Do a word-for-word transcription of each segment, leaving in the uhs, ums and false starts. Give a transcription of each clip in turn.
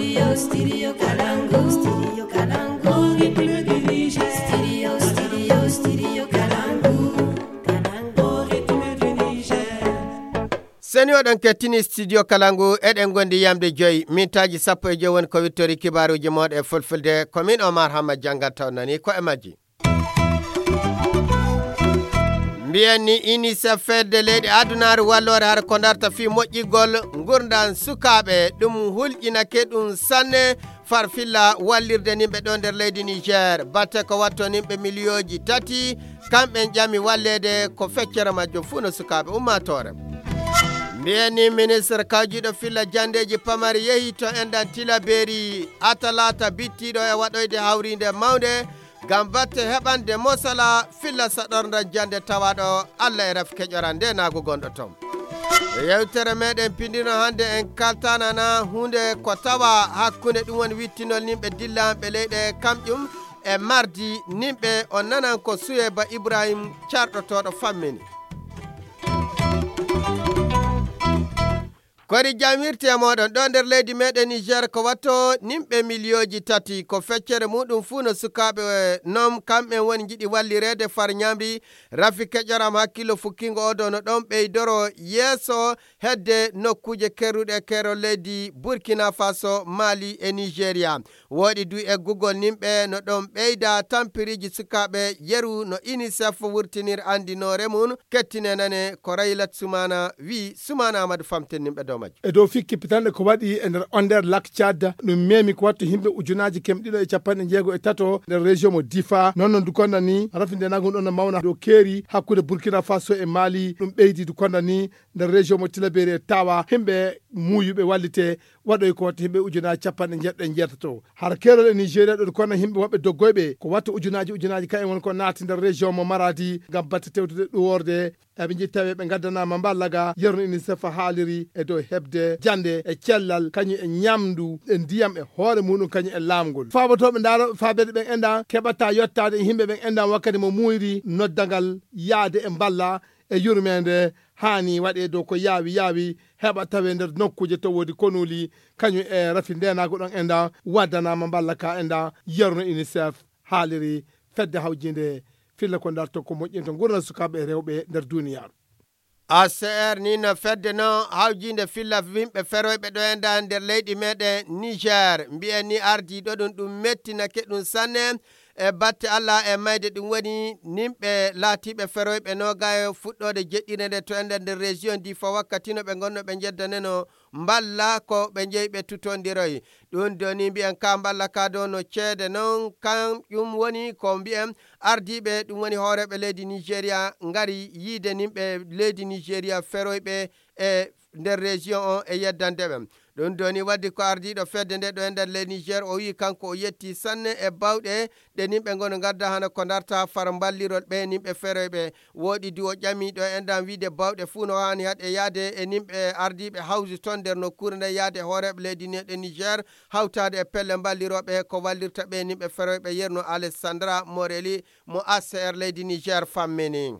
Studio Kalangu. Studio Kalangu. Au rythme du Niger. Studio, studio, studio Kalangu. Kalangu, au rythme du Niger. Seni oɗon kettini studio Kalangu, eɗen gondi yamde joyi, mintaaji sappo e joyi woni ko wittori kibaaruuji mooɗon e fulfulde. Ko min Omar Hamma janngata on nani ko e majji. Mbiyen ni UNICEF, fedde leyɗe adunaaru walloore hara ko darta fii moƴƴigol ngurndan sukaaɓe, ɗum hulƴinake ɗum sanne, farfilla wallirde nimɓe ɗo nder leydi Niger. Batte ko watto nimɓe miliyooji tati, kamɓen ƴami walleede, ko feccere majjum fuu no sukaaɓe ummaatoore. Mbiyen ni ministre kawjiiɗo filla janndeeji pamari yehi to enɗan Tilaberi, Atalata bittiiɗo e waɗoyde hawriinde mawnde, ngam batte heɓande mosala filla saɗorndan jannde tawaaɗo Allah e rafi keƴoran nde naago gonɗo toon. E yewtere meɗen pindino hannde en kaltanana huunde ko tawa hakkunde ɗum woni wittinol nimɓe dillanɓe leyɗe kamƴum e mardi nimɓe on nanan ko Suyeba Ibrahim carɗotooɗo fammini. Kori jam wirti e mooɗon ɗo nder leydi meɗen Niger ko watto nimɓe miliyooji tati ko feccere muɗum fuu no sukaaɓe non kamɓen woni njiɗi wallireede far ñamri rafi keƴoram hakkillo fukkingo odo no ɗon ɓeydoro yeeso hedde nokkuuje kerruɗe keerol leydi Burkina Faso, Mali e Nigeria. Wooɗi du eggugol nimɓe no ɗon ɓeyda tampiriiji sukaaɓe yeru no UNICEF wurtinir anndinoore mum. Kettine nane ko Raylat Sumana wi, Sumana Amadou famten nimɓe dow majjum. E dow fikki pitanɗe ko waɗi e nder on nder Lac Tchad, ɗum memi ko wattu yimɓe ujunaaji kemɗiɗo e capanɗe jeego e tato nder région mo Difa. Noon no du konda ni, rafi nde nagum ɗon no mawna dow keeri hakkunde Burkina Faso e Mali. Ɗum ɓeydi du konda ni, nder région mo Tilaberi e Tawa, yimɓe muuyuɓe wallite waɗoy ko watta yimɓe ujunaaji capanɗe jeeɗiɗo e jeetato. Hara keerol e Nigeria ɗo du konda yimɓe woɓɓe doggoyɓe ko watta ujunaaji ujunaaji kayen woni ko naati nder région mo Maradi ngam batte tewtude ɗuworde. Eɓe njiɗi tawi ɓe ngaddanaama mballa ga yerno UNICEF haaliri e dow heɓde jannde e cellal, kañum e ñamndu e ndiyam e hoore muɗum, kañum e laamgol. Faabotooɓe ndaarooɓe faabeede ɓen enda keɓata yottaade e yimɓe ɓen enda wakkati mo muuyri noddagal yaade e mballa e yurmeende haani waɗee dow ko yaawi yaawi heɓa tawee nder nokkuuje to woodi konuuli, kañum e rafi ndeenaagu ɗon enda waddanaama mballa ka enda yerno UNICEF haaliri fedde hawjiinde filla ko darto ko moƴƴinta ngurndan sukaaɓe e rewɓe nder duniyaaru. A C R ni no fedde no hawjiinde filla yimɓe feroyɓe ɗo e nda nder leydi meɗen Niger. Mbiyen ni ardiiɗo ɗum, ɗum mettinake ɗum sanne e batte Allah e mayde ɗum woni nimɓe laatiiɓe feroyɓe noogayo fuɗɗoode jeɗɗire nde to e nder nder région Difa wakkati no ɓe ngonno ɓe njeddaneno mballa ko ɓe njeyi ɓe tutondiroyi. Ɗum doni mbiyen ka mballa ka do no ceede non kan ɗum woni ko mbiyen ardiiɓe ɗum woni hooreeɓe leydi Nigeria ngari yiide nimɓe leydi Nigeria feroyɓe e nder région on e yeddande ɓen. Ɗum doni waddi ko ardiiɗo fedde nde ɗo e nder leydi Niger o wii kanko o yetti sanne e bawɗe ɗe nimɓe ngoni ngadda hana ko darta far mballirol ɓe nimɓe feroyɓe. Wooɗi du o ƴami ɗo e ndan wiide bawɗe fuu no haani haɗe yaade e nimɓe ardiiɓe hawsi toon nder nokkuure nden yaade hooreeɓe leydi neɗɗe Niger hawtaade e pelle mballirooɓe ko wallirta ɓe nimɓe feroyɓe yerno Alessandra Morelli mo A C R leydi Niger fammini.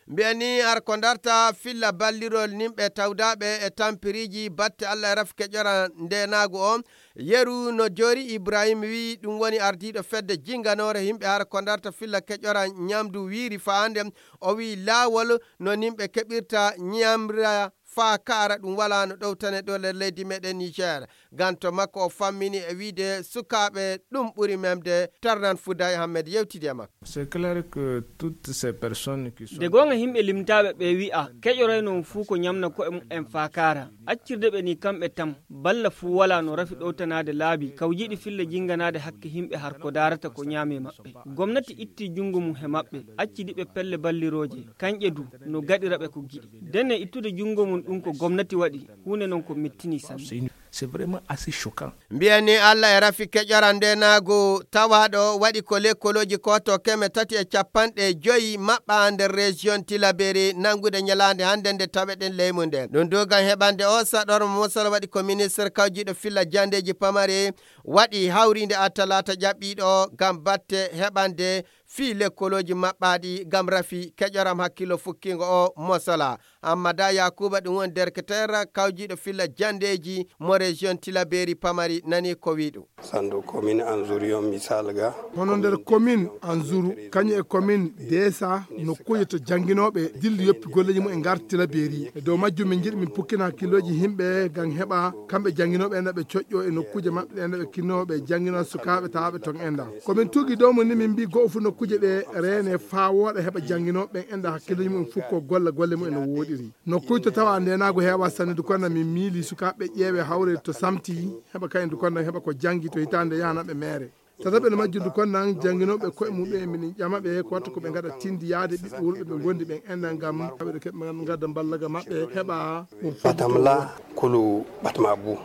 Mbiyen ni har ko darta filla ballirol nimɓe tawdaaɓe e tampiriiji batte Allah e rafke ƴora ndeenaagu o. Yeru no joori Ibrahim wi ɗum woni ardiiɗo fedde jinganoore yimɓe har ko darta filla keƴora ñamdu wiiri faande. O wi laawol no nimɓe keɓirta ñamra faa kaara ɗum wala no ɗowtane ɗo nder leydi meɗen Niger. Ganto makko o fammini e wiide sukaaɓe ɗum ɓuri memde. Tarnan Fouda Ahmed yewtidi e makko. C'est clair que toutes ces personnes qui sont... De goonga yimɓe limtaaɓe ɓe wi'a keƴoroyno on fuu ko ñamna ko'e mumen faakaara. Accirde ɓe ni kamɓe tam, balla fuu walaa no rafi ɗowtanaade laabi, kawjiiɗi filla jinnganaade hakke yimɓe har ko daarata ko ñaami maɓɓe. Gomnati itti junngo mum he maɓɓe, accidi ɓe pelle ballirooje, kanƴe du no gaɗira ɓe ko giɗi. Dene ittude junngo mum ɗum ko gomnati waɗi, huunde non ko mettini sanne. C'est vraiment assez choquant. Mbiyen ni Allah e rafi keƴoran nde naago tawaaɗo waɗi ko lekkolooji ko to keme tati e capanɗe joyi maɓɓa nder région Tilaberi nanngude ñalaande hannde nde taweɗen leymu nde. Ɗum duugan heɓande o saɗormo mosol waɗi ko ministre kawjiiɗo filla janndeeji pamari waɗi hawriinde a talaata ƴaɓɓiiɗo ngam batte heɓande fii lekkolooji maɓɓaaɗi ngam rafi keƴoram hakkillo fukkingo o mosola. Ammada Yakuba, ɗum woni derketeer kawjiiɗo filla janndeeji mo région Tilaberi Pamari, nani ko wi'i ɗum. Sandu commune Anzuru yon misal ga. Hono nder commune Anzuru, kañum e commune Desa, nokkuuje to jannginooɓe dilli yoppi golleeji mum e ngar Tilaberi. E dow majjum min njiɗi min pukkina hakkillooji yimɓe ngam heɓa kamɓe jannginooɓe enda ɓe coƴƴo e nokkuuje maɓɓe ɗe enda ɓe kinnooɓe janngina sukaaɓe tawaaɓe ton enda. Ko min tuugi dow mum ni min mbi go'o fu nokkuuje ɗe reene faa wooɗa heɓa jannginooɓe ɓen enda hakkillooji mum fukko golla golle mum e no wooɗiri. Nokkuuje to tawa ndeenaagu heewa sanne du konna min miili sukaaɓe ƴeewe hawre to samti heɓa kayen du konna heɓa ko janngi to hitaande yahanaɓe meere. Tataɓe no majjundu kon nan jannginooɓe koye muɓɓen e minen ƴama ɓe ko watta ko ɓe ngaɗa tindi yaade ɓiɓɓe wulɓe ɓe ngondi ɓen enɗan ngam haɓeɗo keɓe ngadda mballaga maɓɓe heɓa ɗum fodde. Batamla kulu batma bu.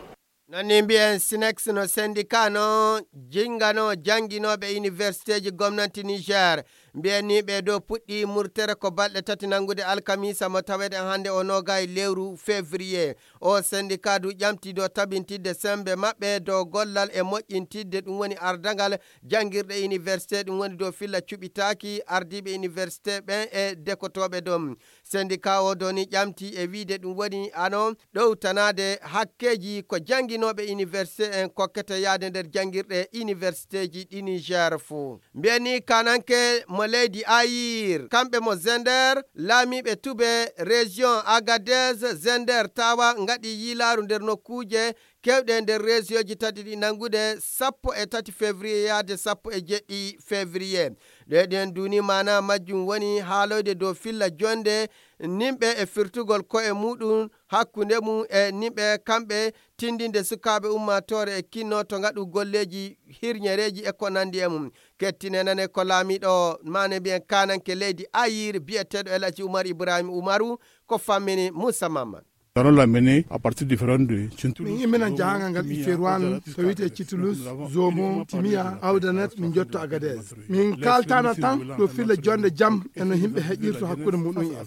Non ni mbiyen sinex no sendika no jingano jannginooɓe universitéji gomnanti Niger. Mbiyen ni ɓe dow puɗɗi murtere ko balɗe tati nanngude alkamisa mo tawede hannde o noga e lewru février. O sendika du ƴamti dow tabintidde sembe maɓɓe dow gollal e moƴƴintidde ɗum woni ardagal janngirɗe université ɗum woni dow filla cuɓitaaki ardiiɓe université ɓen e dekotooɓe ɗum. Sendika o doni ƴamti e wiide ɗum woni ano ɗowtanaade hakkeeji ko jannginooɓe université en kokkete yaade nder janngirɗe universitéji ɗi Niger fuu. Mbiyen ni kananke mo leydi Ayir, kamɓe mo Zender, laamiiɓe tube, région Agadez, Zender, Tawa ngaɗi yiilaaru nder nokkuuje keewɗe nder région ji tati ɗi nanngude sappo e tati février yaade sappo e jeɗɗi février. Ɗe ɗen duuni maana majjum woni haaloyde dow filla jonde nimɓe e firtugol ko'e muɗum hakkunde mum e nimɓe kamɓe tindinde sukaaɓe ummaatoore e kinno to ngaɗu golleeji hirñereeji e ko nandi e mum. Kettine nane ko laamiiɗo maane mbiyen kananke leydi Ayir biyeteeɗo El Hadji Umar Ibrahim Umaru ko fammini Moussa Mamman. Nous allons l'amener à partir du référendum de Tintoulouse. Min imminan jahangal ngal Iferwan to wiyte Titulus, Zomo, Timiya, Awdanet, min jotto Agadez. Min kaltana tan ɗo filla jonde jam e no yimɓe heƴirto hakkunde muɗum en.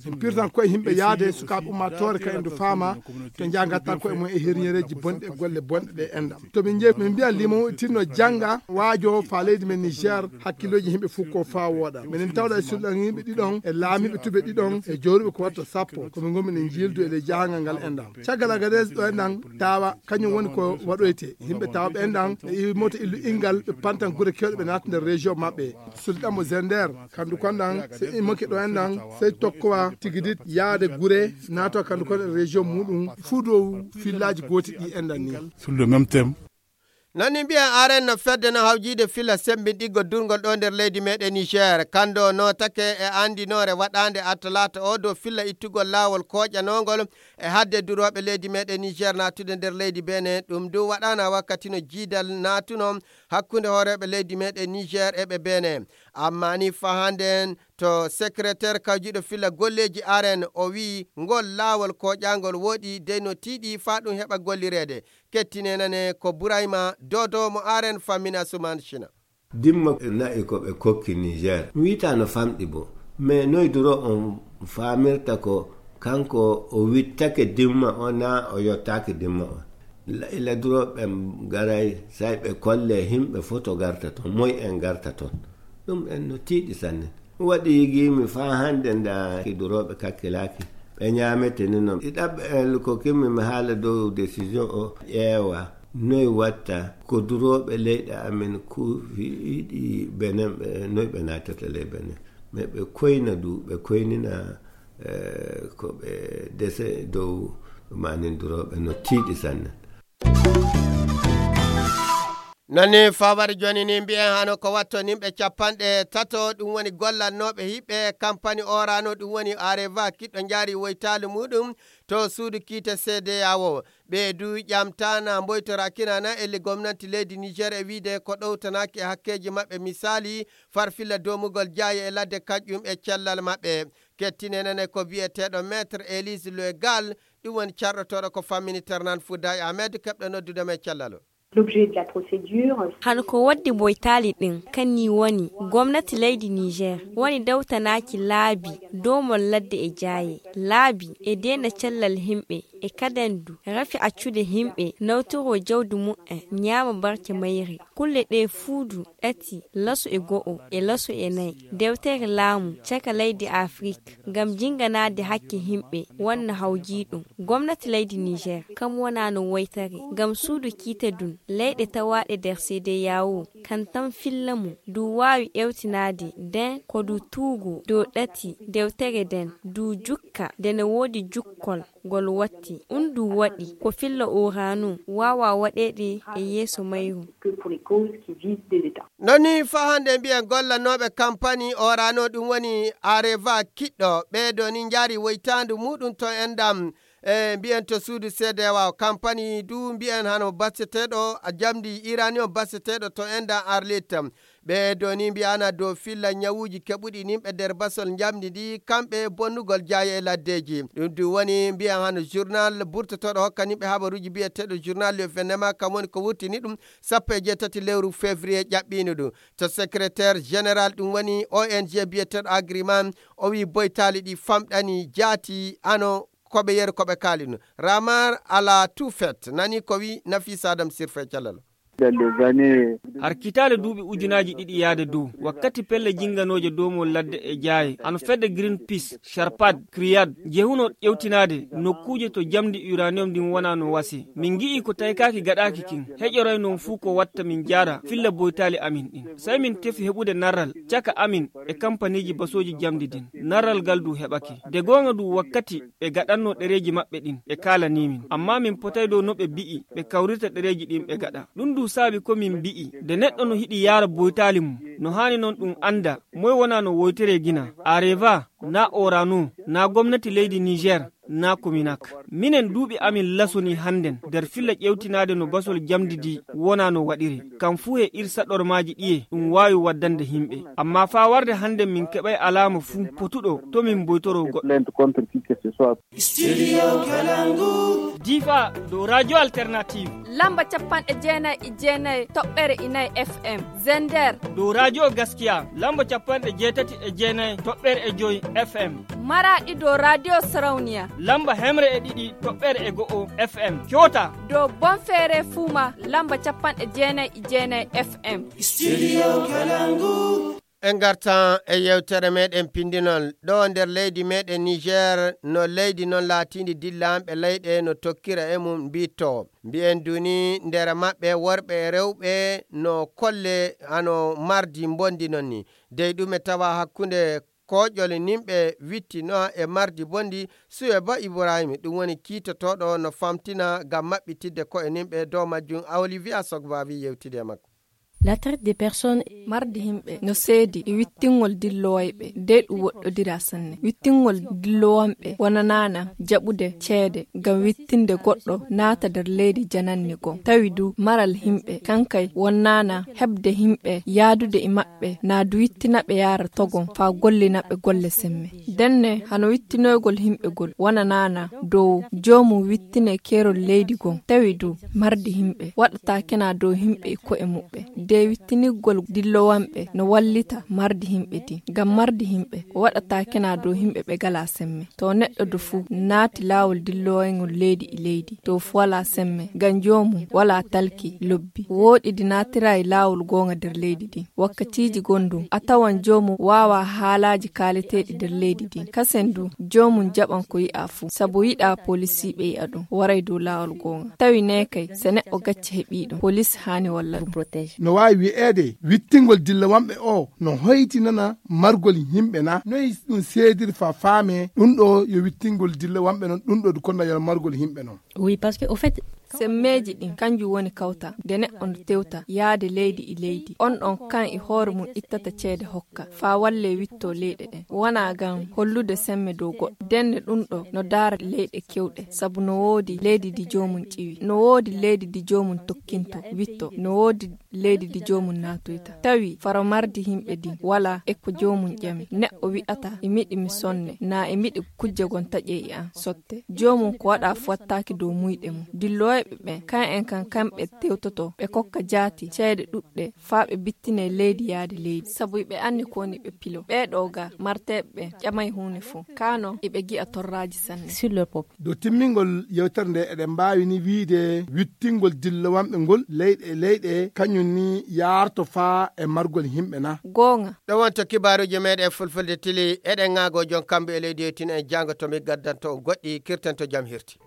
Min pirtan koye yimɓe yaade sukaaɓe ummaatoore ka en du faama to njaha ngatta koye mum e herñereeji bonɗi e golle bonɗe ɗe enɗam. To min jeeyi min mbiya limo tinno jannga waajo faa leydi men Niger hakkillooji yimɓe fuu ko faa wooɗa. Minen tawɗa e sulɗan yimɓe ɗiɗon e laamiiɓe tube ɗiɗon e jooruɓe ko watta sappo. Ko min ngoni minen jiildu e ley jahangal ngal enɗam. Caggal Agadez ɗo enɗan tawa kañum woni ko waɗoyte. Yimɓe tawa ɓe enɗan ɓe iwi moto illu ingal ɓe pantan gure kewɗe ɓe naata nder région maɓɓe. Sulɗan mo Zender kandu konɗan se immoke ɗo enɗan sey tokkowa tigidit yaade gure naata kandu kon e région muɗum fuu dow fillaaji gooti ɗi enɗan ni. Sur le même thème. Non ni mbiyen aren no fedde no hawjiide filla sembinɗiggo durngol ɗo nder leydi meɗen Niger. Kando notake e andinoore waɗande a talaata o dow filla ittugol laawol koƴanongol e hadde durooɓe leydi meɗen Niger naatude nder leydi Benin. Ɗum du waɗana wakkati no jiidal naatuno hakkunde hooreeɓe leydi meɗen Niger e ɓe Benin. Amma ni faa hande en to secrétaire kawjiiɗo filla golleeji aren o wi'i ngol laawol koƴangol wooɗi dey no tiiɗi faa ɗum heɓa gollireede. Kettine nane ko Burayma Dodo mo aren fammina Suman Shina. Dimma na'i ko ɓe kokki Niger. Mi wi'ata no famɗi bo. Mais noy duro on faamirta ko kanko o wittake dimma o na o yottaaki dimma o. La, ila duro ɓe garay say ɓe kolle himɓe foto garta ton. Moy en garta ton. Ɗum en no tiiɗi sanne. Waɗi yigiimi faa hannde nda durooɓe kakkilaaki. Ɓe ñaamete ni non. Ɗi ɗaɓɓe en ko kimmi mi haala dow décision o ƴeewa. Noy watta ko durooɓe leyɗe amen kuufiiɗi Benin ɓe, noy ɓe naatata ley Benin. Mais ɓe koyna du, ɓe koynina, eh, ko ɓe dese dow manin durooɓe no tiiɗi sanne. Nani fawari joni ni mbiyen hano ko watto nimɓe capanɗe tato, ɗum woni gollannooɓe hiɓɓe kampani Orano, ɗum woni Areva, kiɗɗo njaari woytaali muɗum to suudu kiite C D A O. Ɓe du ƴamtana mboytora kinana e le gomnanti leydi Niger e wiide ko ɗowtanaaki e hakkeeji maɓɓe, misaali farfilla domugol jaaye e ladde kaƴƴum e cellal maɓɓe. Kettine nane ko biyeteeɗo Maître Élise Le Gall, ɗum woni carɗotooɗo ko fammini Ternan Fouday Ahmed, keɓɗo noddude mo e cellal o. L'objet de la procédure. Hano ko waddi boytaali ɗin, kan ni woni gomnati leydi Niger woni dawtanaaki laabi domol ladde e jaaye, laabi e deena cellal himɓe. E kaden du rafi accude himɓe nawtoro jawdi mu'en ñaama barke mayri. Kulle ɗe fuudu ɗati laso e go'o e laso e nayi dewtere laamu caka leydi afrik ngam jinganaade hakke himɓe wonna hawjiiɗum. Gomnati leydi niger kam wonano woytare ngam suudu kiite dun leyɗe tawaaɗe nder seede yawo kan tan filla mum du waawi ewtinaade nden ko du tuugo dow ɗati dewtere nden du jukka nde ne woodi jukkol ngol watti. Un du waɗi ko filla uranu waawa waɗeede e yeeso mayru. Noni faa hannde mbiyen gollanooɓe kampani orano ɗum woni areva kiɗɗo ɓeedo ni njaari woytaandu muɗum to endam e mbiyen to suudu seedewa kampani du mbiyen hano baseteeɗo jamdi iranium baseteeɗo to endam arlit. Ɓeedo ni mbiyana dow filla ñawuuji keɓuɗi nimɓe nder basol njamndi ndi kamɓe bonnugol jaaye e laddeeji. Ɗum du woni mbiyan hano journal burtotoɗo hokka nimɓe habaruuji biyeteɗo journal le venema kam woni ko wurtini ɗum sappo e jeetati lewru février ƴaɓɓiino ɗum to secrétaire général ɗum woni ong biyeteɗo agriman. O wi boytaali ɗi famɗani jaati ano koɓe yeru koɓe kaali ɗum. Ramar ala tout fait nani ko wi nafisa adam sirfo e calal. Har kitaale duuɓi ujunaaji ɗiɗi yaade dow wakkati pelle jinnganooje doomol ladde e jaaye hano fedde greenpeace sharpad kriyad jehuno ƴewtinaade nokkuuje to jamndi uranium ndin wonaa no wasi min ngi'ii ko taykaaki gaɗaaki kin heƴoroy non fuu ko watta min jaara filla boytaali amin ɗin. Sey min tefi heɓude narral caka amin e kampaniiji basooji jamndi din narral ngal du heɓake de goonga du wakkati ɓe gaɗanno ɗereeji maɓɓe ɗin ɓe kaalanii min ammaa min potay dow no ɓe bi'i ɓe kawrirta ɗereeji ɗin ɓe gaɗa. Ɗun du saabi ko min bi'i nde neɗɗo no hiɗi yaara boytaali mum no haani non ɗun annda moy wonaa no woyteree gina areva naa orano naa gomnati leydi niger naa kominak. Minen duuɓi amin lasonii hannden nder filla ƴewtinaade no basol jamndi di wonaa no waɗiri kam fuu he ir saɗormaaji ɗiye ɗun waawi waddande himɓe. Ammaa faa warde hannden min keɓay alaama fuu potuɗo to min mboytoroo goɗɗo. Difa dow radio alternative. Lamba capanɗe jeenayi e jeenayi toɓɓere inayi fm. Zender dow radio gaskiya lamba capanɗe jeetati e jeenayi toɓɓere e joyi fm. Maraɗi dow radio sarawniya lamba hemre e ɗiɗi toɓɓere e go'o fm. Coota dow bonfeere fuuma lamba capanɗe jeenayi e jeenayi fm. Studio kalangu. En ngartan e yewtere meɗen pindinol ɗo nder leydi meɗen niger no leydi noon laatiindi dillanɓe leyɗe no tokkira e mum mbitto mbiyen duni nder maɓɓe worɓe e rewɓe no kolle hano mardi mbondi noon ni dey ɗum e tawa hakkunde koƴol nimɓe wittino e mardi bondi. Suwe ba ibrahima ɗum woni kiitotoɗo no famtina ngam maɓɓitidde koye nimɓe dow majjum a olivier sogba wi yewtide e makko. La traite des personnes. Mardi himɓe no seedi e wittingol dillowayɓe dey ɗum woɗɗodira sanne wittingol dillowanɓe wonanana jaɓude ceede ngam wittinde goɗɗo naata nder leydi jananni goo tawi du maral himɓe kankay wonnana heɓde himɓe yaadude e maɓɓe na du wittinaɓe yaara togon faa gollinaɓe golle semme. Denne hano wittinoygol himɓe gol wonanana dow joomum wittine keerol leydi gon tawi du mardi himɓe waɗata kena dow himɓe e ko'e muɓɓe de wittinirgol dillowanɓe no wallita mardi himɓe di ngam mardi himɓe waɗata kena dow himɓe ɓe gala semme to neɗɗo du fuu naati laawol dillowaygol leydi e leydi to fu wala semme ngam joomum wala talki lobbi wooɗidi naatira e laawol goonga nder leydi ndi wakkatiiji gonɗum a tawan joomum waawa haalaaji kaaleteeɗi nder leydi ndin kasen du joomum jaɓan ko yi'a fuu sabu yiɗa polisiiɓe yi'a ɗum waray dow laawol goonga tawi ne kay so neɗɗo gacce heɓii ɗum polis haani walla ɗum. No waawi wi'eede wittingol dillawamɓe oo no hoytinana margol yimɓe na noy ɗum seedirta faamee ɗum ɗoo yo wittingol dillawamɓe non ɗum ɗoo du konnayal margol yimɓe non. Wi par ce que au fait semmeeji ɗin kanjum woni kawtal nde neɗɗo no tewta yaade leydi e leydi on ɗon kan e hoore mum ittata ceede hokka faa wallee wittoo leyɗe ɗen wonaa ngam hollude semme dow goɗɗo ndenne ɗum ɗoo no daara leyɗe kewɗe sabu no woodi leydi ndi joomum ƴiwi no woodi leydi ndi joomum tokkinto witto no woodi leydi ndi joomum naatoyta. Tawi faro mardi yimɓe ndin walaa e ko joomum ƴami. Neɗɗo wi'ata e miɗi mi sonne, naa e miɗi kujje gon taƴe e an sotte. Joomum ko waɗa fu wattaaki dow muyɗe mum. Dilloyɓe ɓen, kan en kan kamɓe tewtoto, ɓe kokka jaati ceede ɗuɗɗe, faa ɓe bittinee leydi yaade leydi. Sabu iɓe anni ko woni ɓe pilo. Ɓee ɗoo ga marteeɓe ɓen ƴamay huunde fow. Kaa non, iɓe gi'a torraaji sanne. Sur le pop. Dow timmingol yewtere nde, eɗen mbaawi ni wiide wittingol dillowanɓe ngol leyɗe e leyɗe, kañum ni yaarto faa e margol yimɓe na? Goonga. Ɗo wonto kibaaruuji meeɗen fulfulde tili, eɗen ŋaago jon kambu e leydi yettin en jaango to mi gaddanto on goɗɗi, kirten to jam hirti.